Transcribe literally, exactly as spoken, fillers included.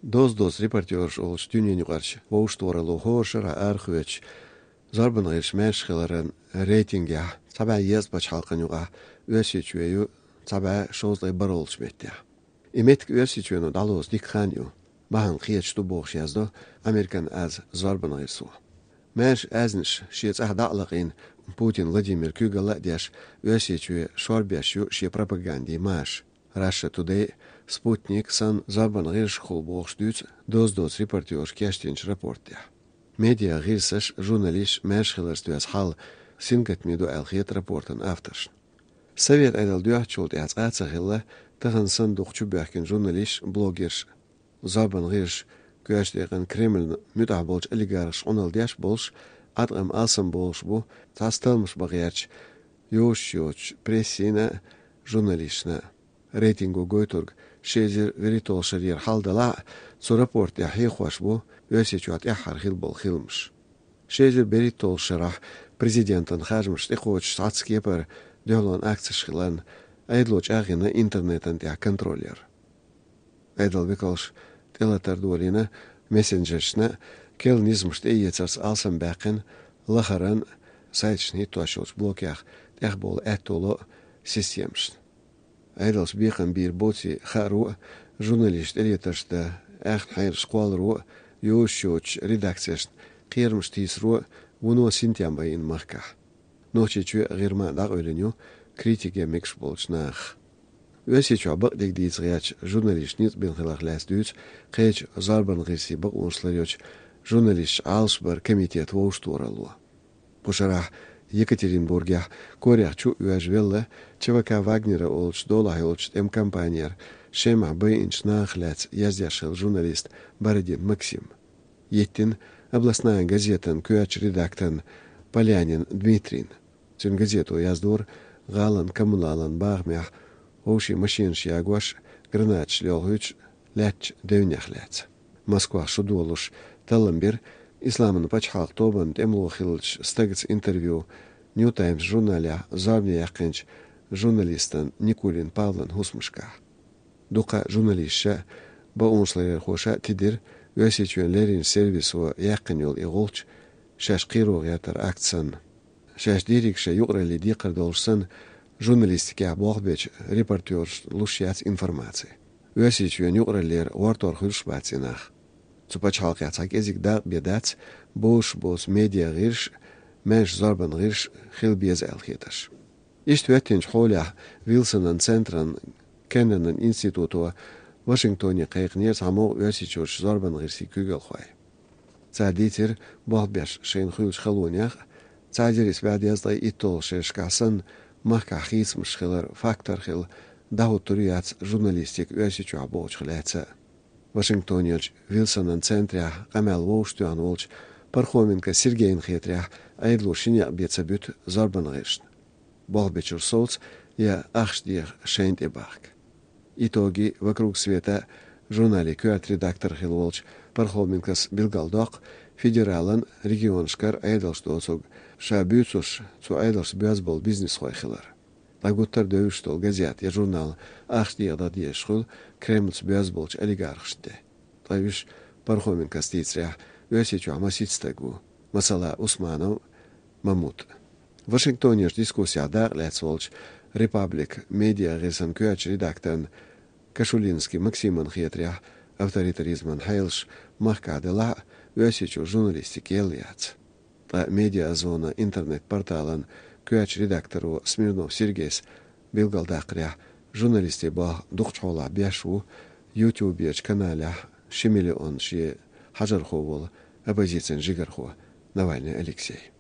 Доза доцу репортёраш олуш дуьненаюкъарчу вовшахтохаралло хӀора шарахь арахоьцуш, зорбанан гӀирсаш маьрша хиларан рейтингехь цхьа бӀе езткъа пачхьалкхан юкъахь Оьрсийчоь ю цхьа бӀе шовзткъе бархӀолгӀачу меттехь. И меттиг Оьрсийчоьно дӀалоцу дика хан ю, бахьана кхеташ ду бохуш яздо Американ аз зорбанан гӀирсо. Маьрша аьзнаш шен цӀахь дӀа а лакъийна, Путин Владимира куьйгалла а деш, Оьрсийчоь шорбеш ю шен пропагандин маша. Russia Today, Sputnik санна зорбанан гӀирсашкахула бохуш дуьйцу доза доцу репортёрша кечдинчу рапортехь. Медиа гӀирсаш, журналисташ маьрша хиларца доьзна хьал сингаттаме ду аьлла хета рапортан авторшна. Совет Ӏедал доьхначул тӀаьхьа цкъа а ца хилла, тахана санна дукха чубоьхкина журналисташ, блогерш, зорбанан гӀирсаш, коьртачу декъана Кремльна муьтӀахь болчу олигархаша Ӏуналла деш болуш, Ӏаткъам алсам болуш бу цхьацца талламаш бан гӀертачу йозуш йоцучу прессина а, журналисташна а. Рейтинго гойтург ши эзар вуьрхӀитталгӀачу шарера хьал далахь а, цу рапорта тӀехь хьехош бу Оьрсийчохь тӀаьххьара хилла болу хиламаш. Ши эзар берхӀитталгӀачу шарахь президентан харжамаш тӀекхочуш цхьацца кепара дуьхьалонан акцеш хиларна, Ӏедало чӀагӀйина интернетан тӀехь контроль яр. Ӏедалан векалша тӀелатар долийна мессенджершна а, керла низамаш тӀеэцарца алсамбаьккхина лахаран а, сайташна хӀиттош йолчу блокех тӀехбовла аьтто ло а системашна. Ӏедалша бекхам бийр боций хааро а, журналисташ тӀелетарш дан аьхна хьераш кхолларо а, йозуш йоцучу редакцешна кхерамаш тийсаро а вуно синтем байина махкахь. Нохчийчоь а, ГӀирма а дӀакъевлина ю критике мегаш болчу нахах. Оьрсийчохь бакъдерг дийца гӀертачу журналисташ ницкъ бина хиларх лаьцна дуьйцу кхечу зорбанан гӀирсийн бакъонаш ларъечу журналисташ Ӏалашбаран комитетан вовшахтохаралло. Кху шарахь Екатеринбургехь, корах чу а оьжна велла, ЧВК «Вагнера» олучу долахь йолчу тӀеман компанера Шемахь байинчу нахах лаьцна яздеш хилла журналист Бородин Максим. Йиттина областная газетан коьртачу редакторна Полянин Дмитрийна. Цуьнан газето яздора гӀалин коммуналан бахамехь вовшийн машинаш ягош, гранаташ лелхуьйтуш лаьттачу девнех лаьцна. Москвахь шу долуш таллам бира Исламан пачхьалкх тобанан тӀемало хиллачу стагаца интервью Нью Таймс журналехь зорбане яьккхинчу журналистан Никулин Павлан хӀусамашкахь. Дукха журналисташа а, бакъонаш ларъярхоша а тидира Оьрсийчоьнан леррина сервисо яьккхина йолу и гӀулч, шаьш кхеро гӀертаран акт санна. Шаьш дийриг шайн юкъараллин декхар долуш санна, журналистикехь болх бечу репортёрашна луш яц информаци. Оьрсийчоьнан юкъараллера гӀортор хуьлуш бац и нах. Цу пачхьалкхехь цхьа кӀезиг дакъа бен дац бозуш боцу медиа гӀирсаш, маьрша зорбанан гӀирсаш хила беза аьлла хетарш. Иштта хӀоьттинчу хьолехь Вилсонан центран Кеннанан институто Вашингтоне кхайкхинера цхьа могӀа Оьрсийчуьрчу зорбанан гӀирсийн куьйгалхой. Цара дийцира болх беш шайна хуьлучу халонех а, цхьа эзар исс бӀе дезткъе итталгӀачу шерашкахь санна, махкахь хийцамаш хилар фактор хилла дӀахӀуттур ю яц журналистика Оьрсийчохь бохучух лаьцна а. Вашингтонерчу Вилсонан центрехь къамел вовшахтоьхна волчу Пархоменко Сергейна хетарехь, Ӏедало ши некъ бен ца буьту зорбанан гӀирсашна: болх бечуьра совца я ахча деха шайна тӀе бахка. «Итоги», «Вокруг света» журналийн коьрта редактор хилла волчу Пархоменкос билгалдоккху федералан, регионашкара Ӏедалша доцург, ша буьйцурш цу Ӏедалшца боьзна болу бизнесхой хилар. ДӀагуттар а девзаш долу газета я журнал ахча дехадала дезаш хуьлу Кремльца боьзна болчу олигархашна тӀе. Ткъа уьш, Пархоменкос дийцарехь, Оьрсийчохь масийтта стаг ву, масала, Усманов Мамут. Вашингтонерчу дискуссехь дакъа лаьцна волчу «Репаблик» медиа гӀирсан коьртачу редакторна Кашулинский Максиман хетарехь, авторитаризман хьелаш махкахь делахь а, Оьрсийчуьра журналистика елла яц. Ткъа «Медиазона» интернет-порталан коьртачу редакторо Смирнов Сергейс билгалдаккхарехь, журналистийн болх дукхачу хьолахь беш ву YouTube-ерчу каналехь ши миллион шен хьажархо волу оппозицин жигархо Навальный Алексей.